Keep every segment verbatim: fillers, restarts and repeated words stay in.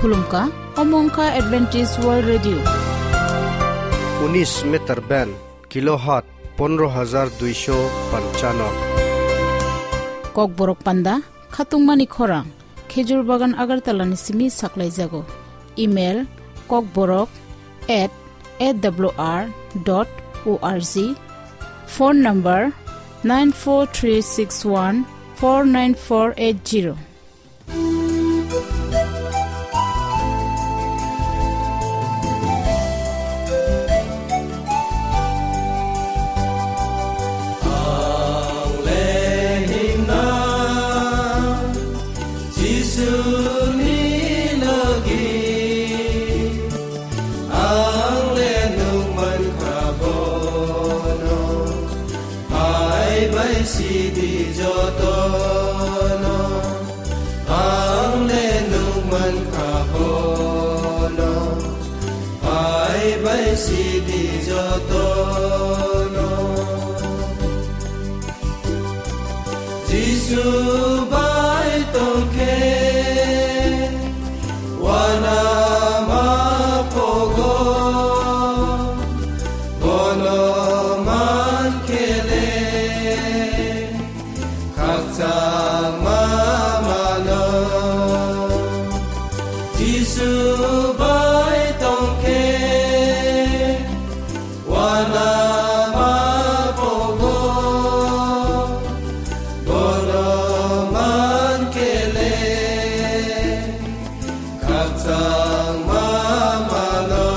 Khulumkha, omo wngkha Adventist World Radio. Unis meter band, kilohertz pondro hajar duisho panchano. Kokborok panda, khatungmani khorang, Khejur Bagan Agartala ni simi saklaijago. Email, kokborok at A W R dot O R G. Phone number, nine four three six one four nine four eight zero. Ang le himna Jisuni logi, ang le nung mankha bono, hai bai sidi jotono. Ang le nung mankha bono, hai bai sidi jotono. Jisu bai tongkhe, wana ma pogo, bono mankhe le, khakchangma mano. Jisu bai tongkhe, wana ma pogo, bono mankhe le, khakchangma mano.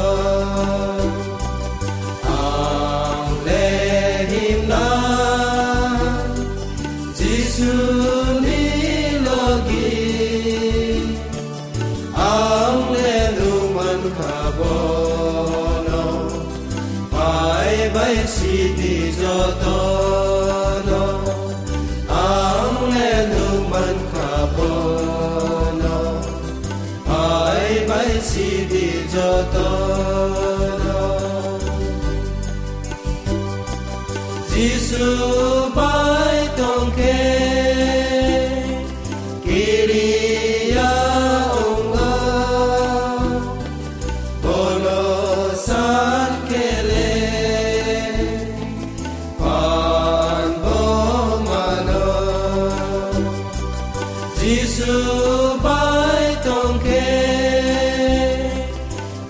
Ang le himna Jisuni logi, ang le nung mankha bono, pai bai sidi jotono. Ang le nung mankha bono, pai bai sidi jotono. Jisu bai tongkhe, kiriya wngo, bono sankhe le, phan bo mano. Jisu bai tongkhe,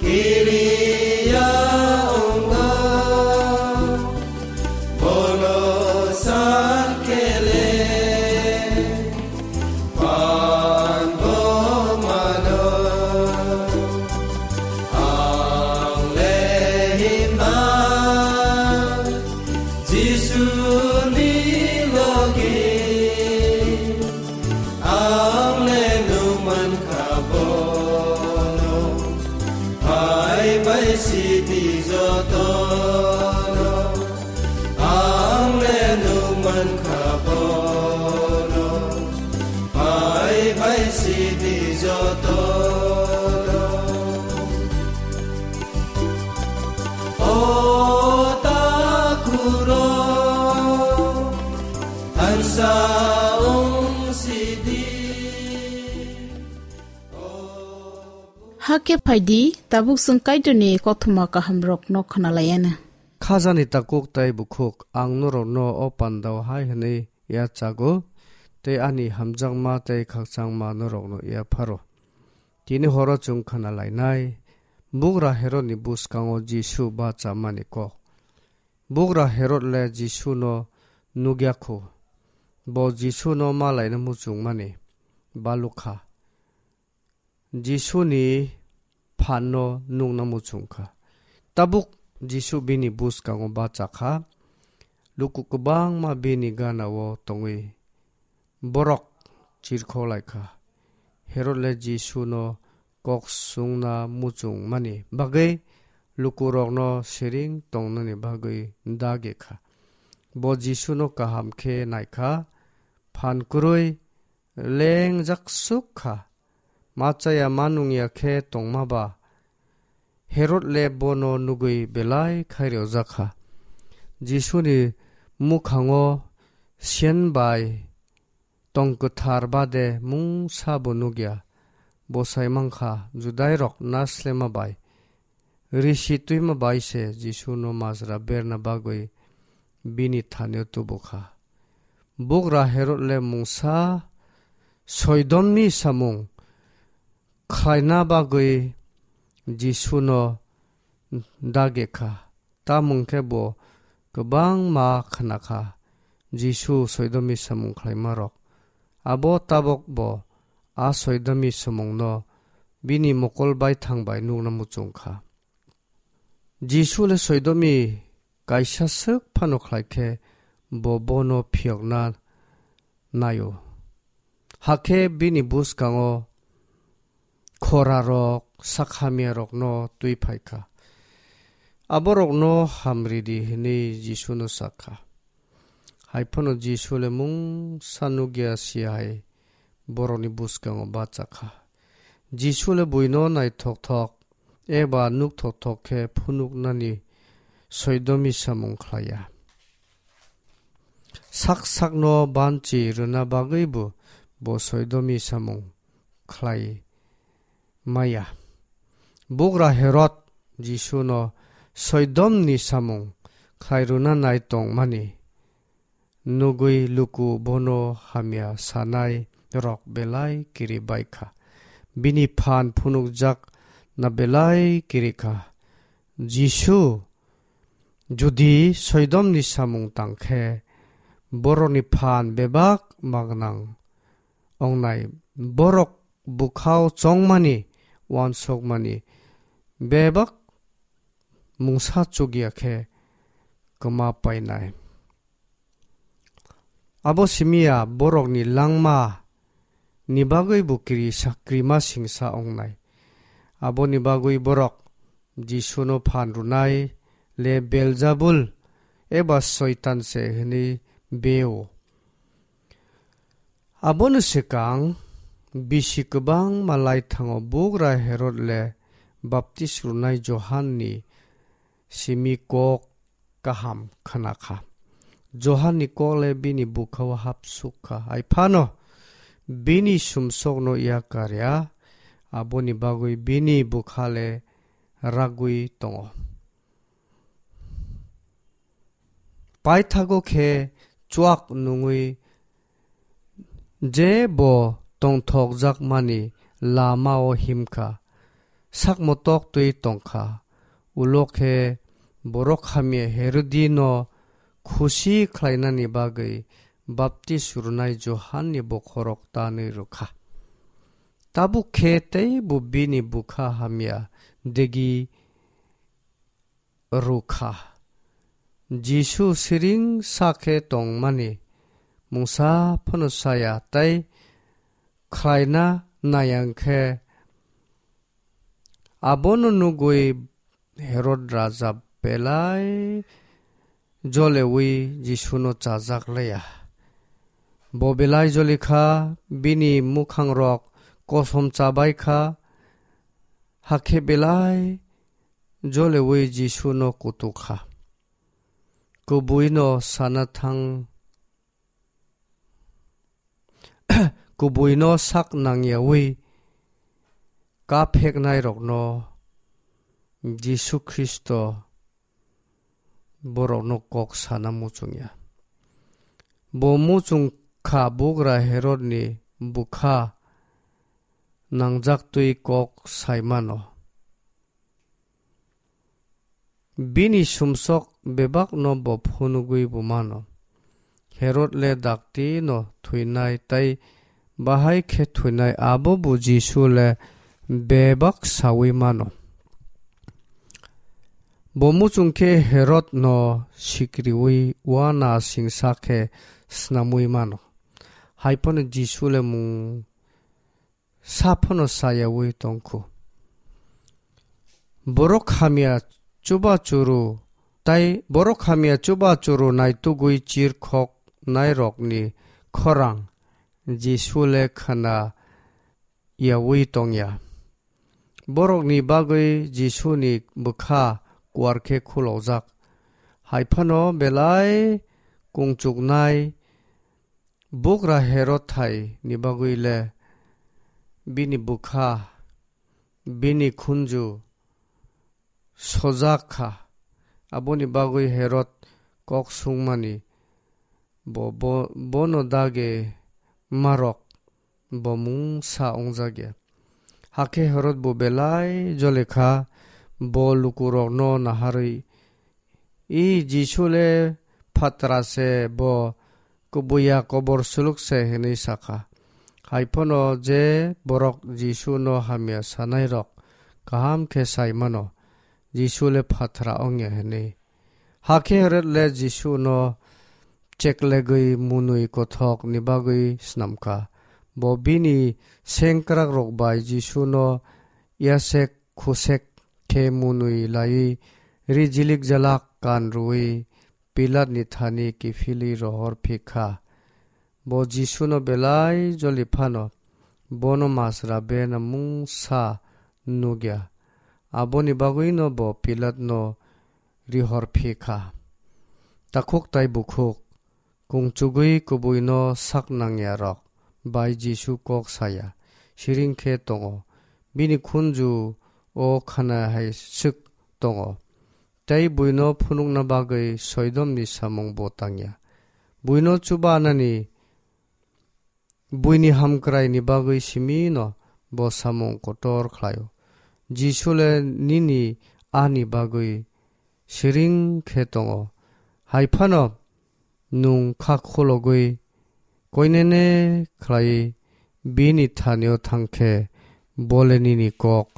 kiriya wngo, bono sankhe le, phan bo mano. Ang le himna Jisuni logi, ang le nung mankha bono, pai bai sidi jotono. Ang le nung mankha bono, pai bai sidi jotono. O takhurok, ansa wng sidi. Hakhe phaidi, tabuk chwng Kaitorni kothoma kahamrokno khwnalaiana. Khajani takhuk tei bukhuk, ang norokno o pandao hai hwnwi yachago, tei ani hamjakma tei khakchangma norokno yapharo. Tini horo chwng khwnalainai, bugra Herodni bwskango Jisu bachamani kok. Bugra Herod le Jisuno nukya kho. Bo Jisuno malaina muchungmani balukha. Jisuni phanno nukna muchungkha. Tabuk Jisu bini bwskango bachakha. Luku kwbangma bini ganao tongwi borok chirkhok lai kha. Herod le Jisuno kok sungna muchungmani bagwi lukurokno siring tongnani bagwi dagi kha. Bo Jisuno kaham khe nai kha, phan kwrwi lengjak suk kha. Ma chaya ma nungya khe tongma ba Herod le bono nugwi belai khairokjak kha. Jisuni mukhango siyan bai tong kwthar bade mungsa bo nukya. bwsai mankha, Judairok naslema bai, risi twima bai se Jisuno majra berna bagwi bini thanio tubukha. Bugra Herod le mungsa soidomni samung khlaina bagwi Jisuno dagekha. Tamung khe bo kwbangma khnakha Jisu soidomni samung khlaimarok. Abo tabok bo a soidomni samungno bini mokol baithang bai nukna muchungkha. Jisu le soidomni kaisa swk phano khlai khe bo bono phiyokna naio. Hakhe bini bwskango khorarok, sakhamyarokno twi phaikha. Aborokno hamridi hwnwi Jisuno sakha. Haiphano Jisu le mungsa nukya si hai borokni bwskango bachakha. Jisu le buino naithokthok eba nukthokthok khe phunuknani soidomni samung khlaiya. Sak sakno banchi rwna bagwibo bo soidomni samung khlai maya. Bugra Herod Jisuno soidomni samung khlai rwna nai tongmani nugwi luku bono hamya sanai rok belai kiri baikha. Bini phan phunukjak na belai kirikha. Jisu judi soidomni samung tangkhe borokni phan bebak magnang ongnai, borok bukhao chongmani, uansukmani, bebak mungsa chukya khe kwma painai. Abo simiya borokni langma ni bagwi bo kiri sa-, krima singsa ongnai. Aboni bagwi borok Jisuno phan rwnai le Beljabul eba Soitan se hwnwi beo. Abono swkang bisi kwbangma laithango bugra Herod le baptis rwnai Johanni simi kok kaham khnakha. Johanni kok le bini bukhao hapsukha. Haiphano bini sumsokno yakarya, aboni bagwi bini bukha le ragwi tongo. Paithago khe chuak nungwi je bo tongthokjakmani lamao himkha, sakmotok twi tongkha. Ulo khe borok hamya Herodino khusi khlainani bagwi baptis rwnai Johanni bokhorok tanwi rwkha. Tabuk khe teibo bini bukha hamya degi rwkha. Jisu siring sa khe tongmani mungsa phano saya tei khlaina nayang khe abono nugwi Herod raja belai jolewi Jisuno chajak laya. Bo belai jolikha, bini mukhangrok kosom chabaikha, hakhe belai jolewi Jisuno kutukha. Kubuino sana thang, kubuino sak nangyawi kapheknairokno Jisu Khristo borokno kok sana muchungya. Bo muchung kha bugra Herodni bukha nangjaktwi kok sai mano. Bini sumsok bebakno bo phunugwi bo mano. Herod le dakti no thwinai tei bahai khe thwinai abo bo Jisu le bebak sawi mano. Bo muchung khe Herod no sikriwi uana singsa khe snamwi mano. Haiphano Jisu le mung sa phano sayawi tongkhu. Borok hamya chuba churu tai borok hamya chuba churu naitugwi chirkhok nairokni khorang Jisu le khana yawi tongya. Borokni bagwi Jisuni bwkha kuar khe khulokjak. Haiphano belai kungchuknai bugra Herod hai ni bagwi le bini bwkha, bini khunju sojak kha. Aboni bagwi Herod kok sungmani, bo, bo, bono dagi marok bo mungsa wngjak ya. Hakhe Herod bo belai jole kha, bo lukurokno naharwi, "I Jisu le phatra se, bo kubuya kobor suluk se," hwnwi sa kha. Hai phano je borok Jisuno hamya sanairok kaham khe sai mano, Jisu le phatra wng ya hwnwi. Hakhe Herod le Jisuno cheklegwi mwnwi kothokni bagwi snam kha. Bo bini sengkrakrok bai Jisuno yasek khusek khe mwnwi laiwi, ri jilik jalak kan rwui Pilatni thani kiphilwi rohor phi kha. Bo Jisuno belai joli phano bono masra bena mungsa nuk ya. Aboni bagwino bo Pilatno rihor phi kha. Takhuk tai bukhuk, kungchugwi kubuino sak nangyarok bai Jisu kok saya, siring khe tongo. Bini khunju o khana hai swk tongo. Tei buino phunukna bagwi soidomni samung bo tangya. Buino chubanani, buini hamkraini bagwi simino bo samung kotor khlaio. Jisu le nini ani bagwi siring khe tongo. Hai phano nwng kha khologwi koinene khlai bini thanio thang khe bo le nini kok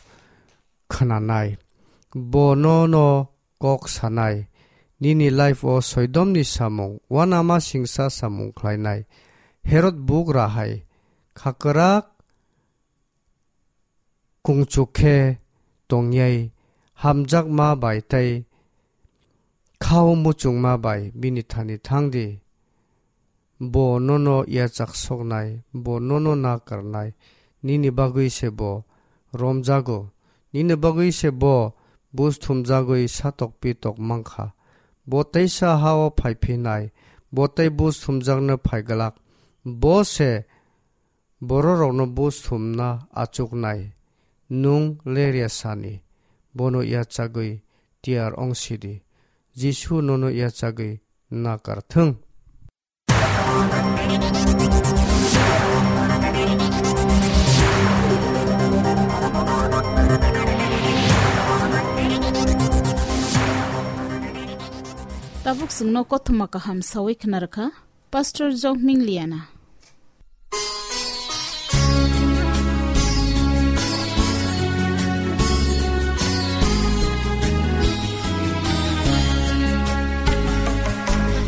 khnanai. Bo nono kok sanai. Nini life o soidomni samung, uanama singsa samung khlainai. Herod bugra hai khakrak kungchuk khe tongyai, hamjakma bai tei khao muchungma bai bini thani thang di. Bo nono yachak soknai, bo nono nakarnai, nini bagwi se bo romjago, nini bagwi se bo buj thumjagwi satok pitok mankha. Bo teisa ha-o phai phinai, bo tei buj thumjakno phai glak. Bo se bororokno buj thumna achuknai. Nwng lerya sani, bono yachagwi tiyar wng sidi. Jisu nono yachagwi nakar thung. Tabuk chwngno kothoma kaham sawi khna rwkha Pastor Jokming Liana.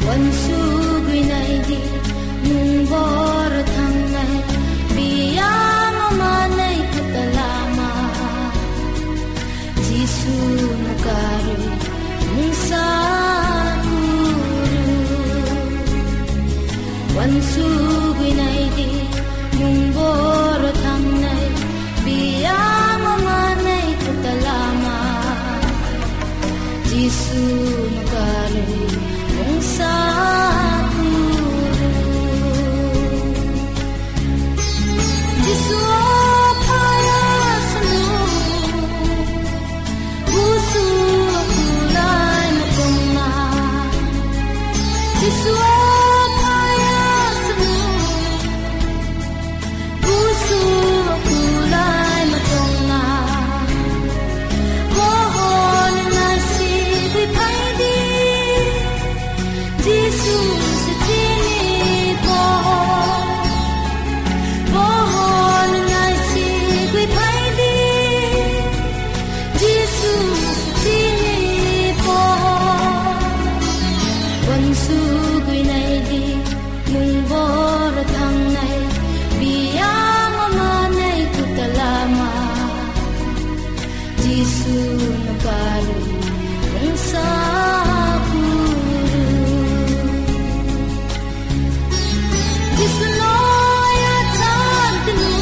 Wansugwi naidi, nwng bor thangnai, biyang manai kutalama. Jisu nukarwi mungsa kuru. Wansugwi naidi, nwng bor thangnai, biyang manai kutalama. Jisu nukarwi mungsa kuru. Jisu o phaya sanu. Busu kulai mukungma. Jisu o phaya sanu. Busu kulai mukungma. Mohon nasi di phaidi. Jisu sitini poho, poho nwngnai sigwi phaidi. Jisu sitini poho, wansugwi naidi, nwng bor thangnai, biyang manai kutalama. Jisu nukarwi mungsa kuru. Jisu no yachak tinu.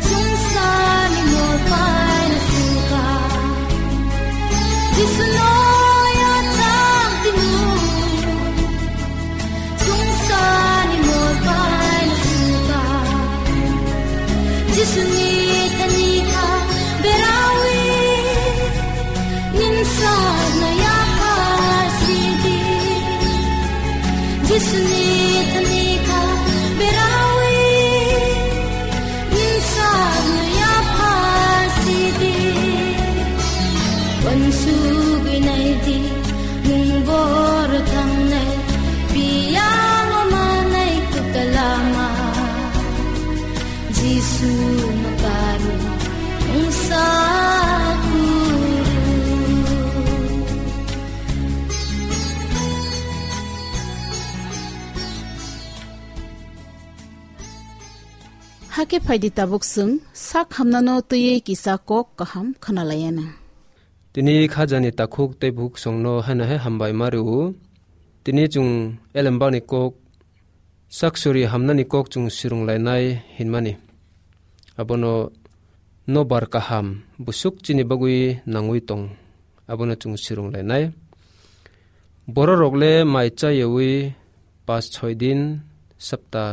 Sungsani mol paina suka. Jisu no yachak tinu. Sungsani mol paina suka. Berawi, ninsa naya pasidi. Jisuni tanika berawi, ninsa naya pasidi. Wansu binai di, mungbor tangnai, piyang manai kutalama. Jisu makaru wngsa kuru. Hakhe phaidi tabuk chwng sak hamnano twiwi kisa kok kaham khwnalaiyana. Tini khajani takhuk tei bukhuk songno haino hai hambai ma rw. Tini chwng elembani kok, saksuri hamnani kok chwng swrwnglainai hinmani. Abono nobar kaham bwswk chini bagwi nangwi tong, abono chwng swrwnglainai. Bororok le mai chayawi pas choi din, sapta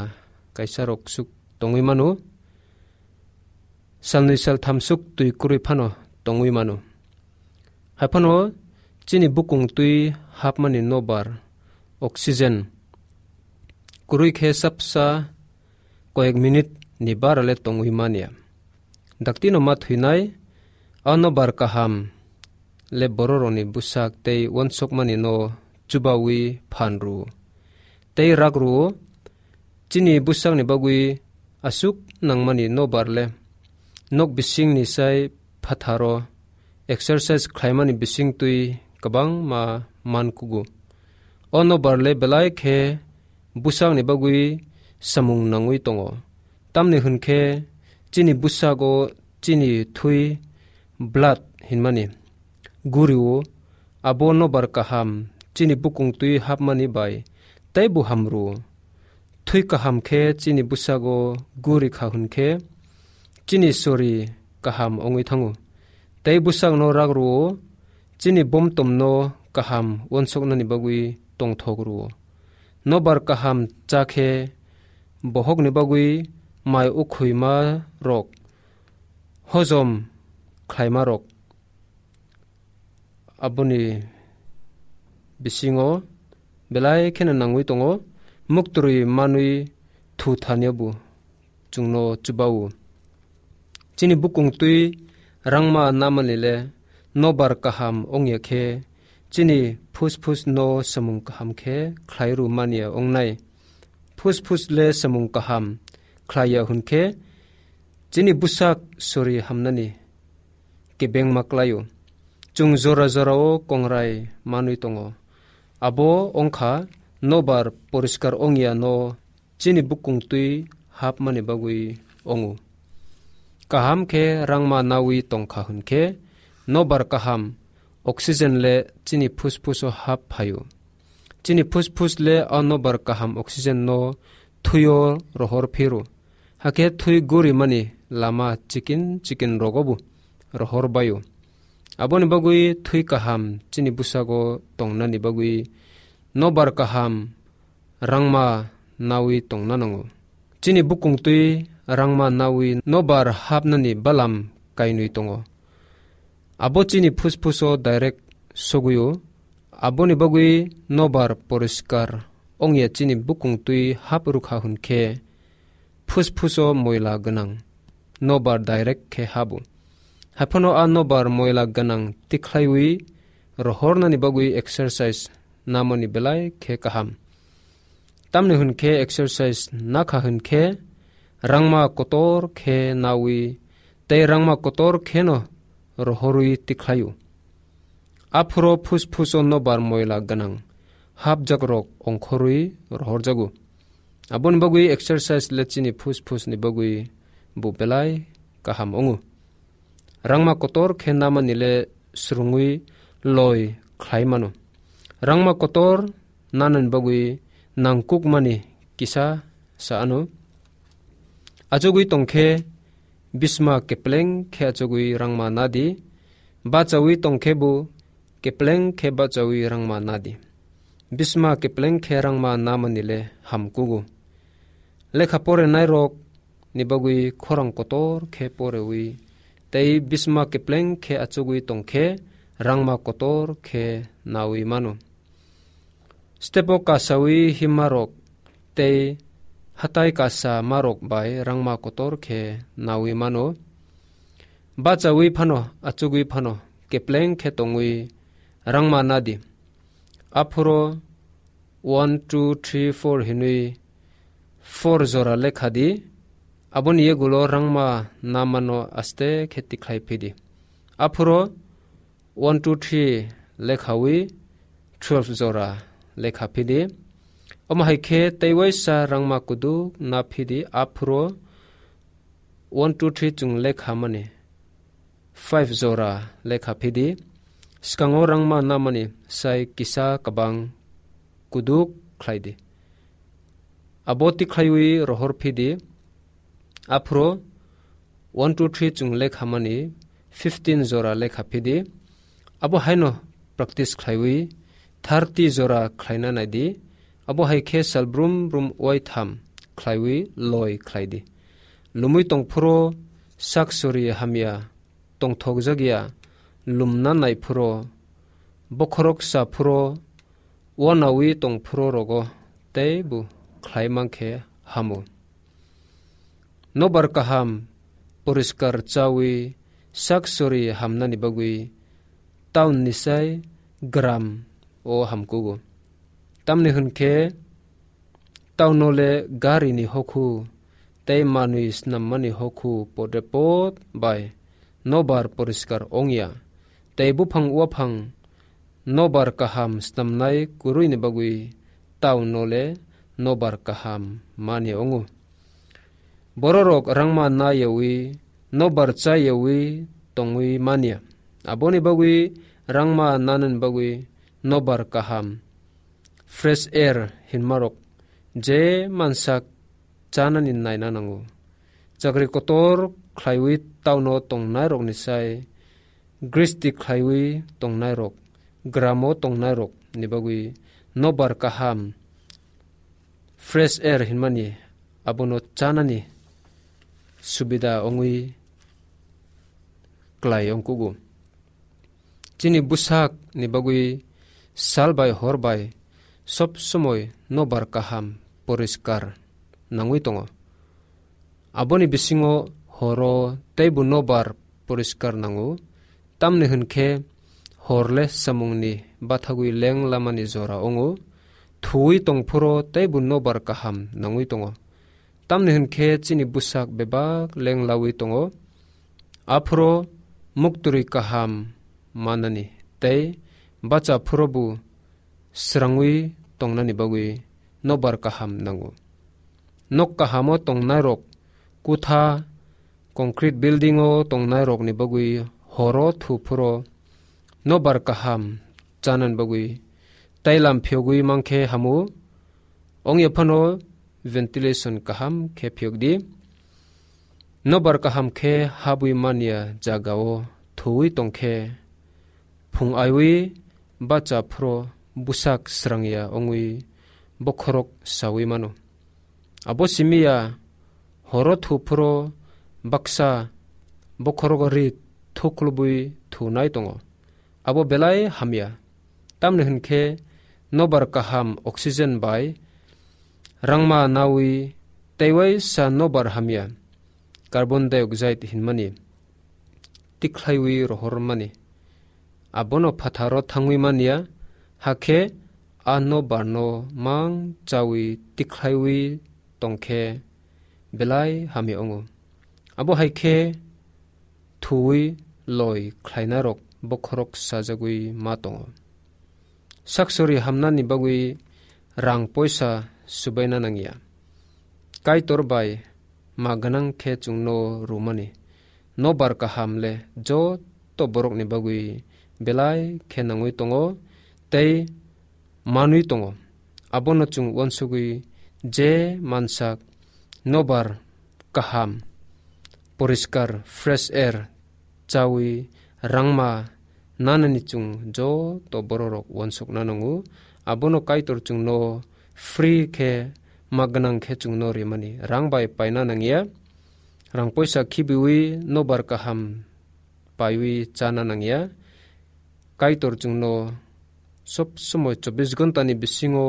kaisa rok suk tongwi mano. Salnwi saltham suk twi kwrwi phano tongwi mano. Hai phano chini bukung twi hapmani nobar, oxygen, kwrwi khe sapsa koyek minute ni bara le tongwi manya. Daktino ma thwinai, a nobar kaham le bororokni bwsak tei uansukmani no chubawi phan rw-o. Tei rak rw-o, chini bwsakni bagwi aswk nangmani nobar le nok bisingni sai phatharo exercise khlaimani bising twi kwbangma man kugo. O nobar le belai khe bwsakni bagwi samung nangwi tongo. Tamni hwn khe chini bwsago chini thwi, blood hinmani, guri-o, abo nobar kaham chini bukung twi hapmani bai teibo ham rw-o. Thwi kaham khe chini bwsago guri kha hwn khe chini sori kaham wngwi thango. Tei bwsakno rak rw-o, chini bomtomno kaham uansuknani bagwi tongthok rw-o. Nobar kaham cha khe bohokni bagwi mai ukhwima rok hojom khlaima rok. Aboni bisingo belai kheno nangwi tongo, muktwrwi manwi thu thaniya bo chwngno chuba-o. Chini bukung twi rangma namani le nobar kaham wngya khe, chini phusphus no samung kaham khe khlai rw manya wngnai. Phusphus le samung kaham khlaiya hwn khe, chini bwsak sori hamnani kebengma klai-o. Chwng jora jorao kongrai manwi tongo. Abo wngkha nobar poriskar wngya no chini bukung twi hapmani bagwi wngo. Kaham khe rangma nawi tongkha hwn khe nobar kaham oxygen le chini phusphus-o hap phaio. Chini phusphus le a nobar kaham oxygen no thwio rohor phiro. Hakhe thwi gorimani lama chikin chikin rogo bo rohor baio. Aboni bagwi thwi kaham chini bwsago tongnani bagwi nobar kaham rangma nawi tongna nango. Chini bukung twi rangma nawi nobar hapnani balam kainwi tongo. Abo chini phusphus-o direct sogwi-o. Aboni bagwi nobar poriskar wngya chini bukung twi hap rwkha hwn khe, phusphus-o moila gwnang nobar direct khe habo. Haiphano a nobar moila gwnang tikhlaiwi rohornani bagwi exercise namani belai khe kaham. Tamni hwn khe exercise nakha hwn khe rangma kotor khe nawi tei rangma kotor kheno rohorwi tikhlaio. Aphuro phusphus-o nobar moila gwnang hapjakrok ongkhorwi rohorjago. Aboni bagwi exercise le chini phusphusni bagwi bo belai kaham wngo. Rangma kotor khe namani le swrwngwi loi khlai mano. Rangma kotor nanani bagwi nangkukmani kisa sa ano. Achugwi tong khe bisma kepleng khe achugwi rangma nadi, bachawi tong khe bo kepleng khe bachawi rangma nadi. Bisma kepleng khe rangma namani le hamkugo. Lekha porenairok ni bagwi khorang kotor khe porewi tei bisma kepleng khe achugwi tong khe rangma kotor khe nawi mano. Stepo kasawi himmarok tei hatai kasa marok bai rangma kotor khe nawi mano. Bachawi phano, achugwi phano, kepleng khe tongwi rangma nadi. Aphuro one, two, three, four hinwi four jora lekha di. Aboni yagulo rangma namano aste khe tikhlai phidi. Aphuro one, two, three lekhawi twelve jora lekha phidi. Omo hai khe tei waisa rangma kuduk na phidi, aphuro one, two, three chwng lekha mani five jora lekha phidi. Swkango rangma namani sai kisa kabang kuduk khlai di. Abo tikhlaiwi rohor phidi. Aphuro one, two, three chwng lekha mani fifteen jora lekha phidi. Abo haino practice khlaiwi thirty jora khlaina naidi. Abo hai khe sal brum brum wai tham khlaiwi loi khlai di. Lumwi tong phuro sak sori hamya tongthok jak ya, lumna nai phuro, bokhorok sa phuro, uanawi tong phuro rogo tei bo khlai man khe hamo. Nobar kaham poriskar chawi sak sori hamnani bagwi town ni sai gram o hamkugo. Tamni hwn khe town o le gari ni hokhu tei manwi snammani hokhu podre pod bai nobar poriskar ongya, tei buphang uaphang nobar kaham snamnai kwrwini bagwi town o le nobar kaham mani ongo. Bororok rangma nayawi, nobar chayawi tongwi manya. Aboni bagwi rangma nanani bagwi nobar kaham, fresh air hinmarok je mansak chanani naina nango. Chakri kotor khlaiwi town o tongnairokni sai gristi khlaiwi tongnairok, gramo tongnairokni bagwi nobar kaham, fresh air hinmani abono chanani subida ongwi klai ongkugo. Chini bwsak ni bagwi sal bai hor bai sob somoi nobar kaham poriskar nangwi tongo. Aboni bisingo horo teibo nobar poriskar nango, tamni hwn khe hor le samungni bathagwi leng lamani jora wngo, thuwi tong phuro teibo nobar kaham nangwi tongo. Tamni hwn khe chini bwsak bebak leng lawi tongo, aphuro muktwrwi kaham manani tei bacha phuro bo srangwi tongnani bagwi nobar kaham nango. Nok kahamo tongnairok kutha, concrete building o tongnairokni bagwi horo thu phuro nobar kaham chanani bagwi tailam phiyogwi mankhe hamu. Ongya phano ventilation kaham khe phiyok di. Nobar kaham khe habwi manya jagao thuwi tongkhe phung aiwi bacha phuro bwsak srangya ongwi bokhorok sawi mano. Abo simiya horo thu phuro baksa bokhorogo ri thuklubwi thunai tongo. Abo belai hamya. Tamni hwn khe nobar kaham oxygen bai rangma nawi teiwaisa nobar hamya carbon dioxide hinmani tikhlaiwi rohormani. Abono phatharo thangwi manya, hakhe a nobarno mang chawi tikhlaiwi tongkhe belai hamya wngo. Abo hai khe thuwi loi khlainairok bokhorok sajagwi ma tongo. Saksori hamnani bagwi rang poisa subaina nangya. Kaitor bai ma gwnang khe chwngno rwmani. Nobar kaham le joto borokni bagwi belai khe nangwi tongo tei manwi tongo. Abono chwng uansugwi je mansak nobar kaham, poriskar, fresh air chawi rangma nanani chwng joto bororok uansukna nango. Abono Kaitor chwngno free khe ma gwnang khe chwngno rimani. Rang bai paina nangya. Rang poisa khibiwi nobar kaham paiwi chana nangya. Kaitor chwngno sob somoi chobbish ghonta ni bisingo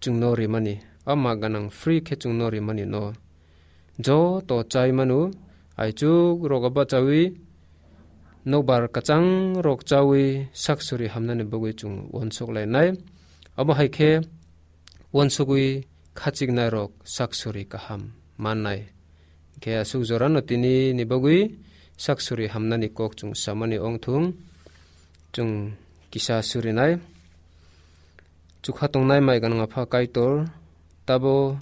chwngno rimani, ama ganang free khe chwngno rimani no. Joto chai manu, aichuk rogo bachawi, nokbar kwchang rok chawi saksuri hamnani bagwi chwng uansuk lainai. Abo hai khe uansugwi khachiknai rok saksuri kaham mannai. Khe aswk jorano tini ni bagwi saksuri hamnani kok chwng samani ongthung, chwng kisa surinai. Chukha tongnai mai ganang apha Kaitor, tabo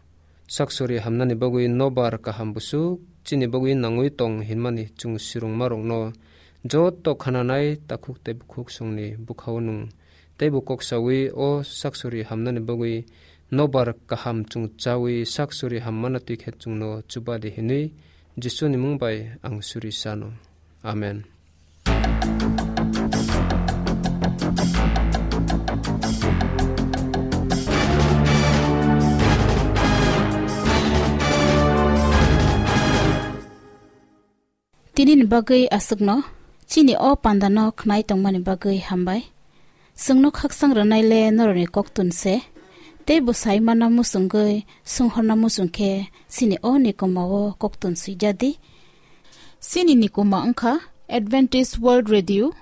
saksuri hamnani bagwi nobar kaham busuk chini bagwi nangwi tong hinmani chwng sirungmarokno joto khananai takhuk tei bukhuk songni bwkhao nwng teibo kok sawi o saksuri hamnani bagwi nobar kaham chwng chawi saksuri hammana twi khe chwngno chubadi hinwi Jisuni mung bai ang suri sano. Amen. Tini ni bagwi aswkno, chini o panda no khnai tongmani bagwi hambai. Chwngno khaksang rwnai le norokni koktun se, tei bwsai mana muchungwi swnghorna muchung khe chini o nikoma o koktun swijadi. Chini nikoma wngkha Adventist World Radio,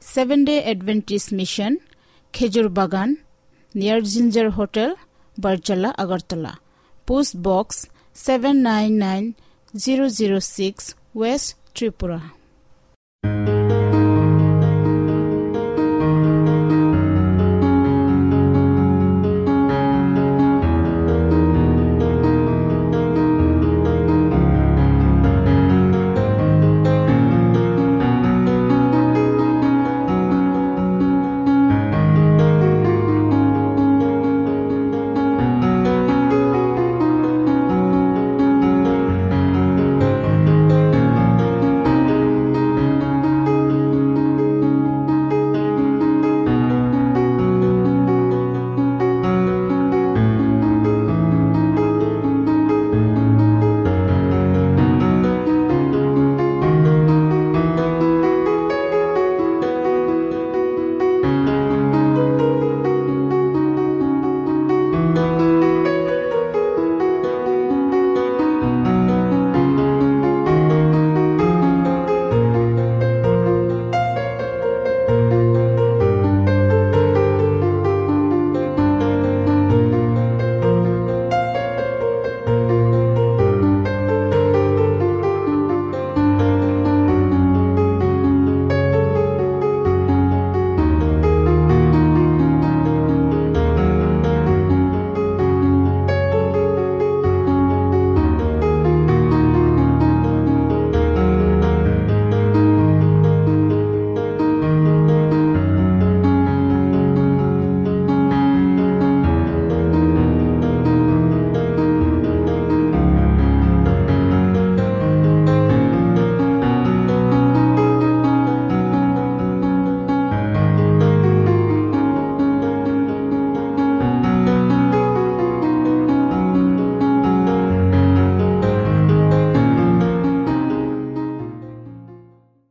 Seven Day Adventist Mission, Khejur Bagan, near Ginger Hotel, Barjala, Agartala. Post Box seven nine nine zero zero six, West Tripura.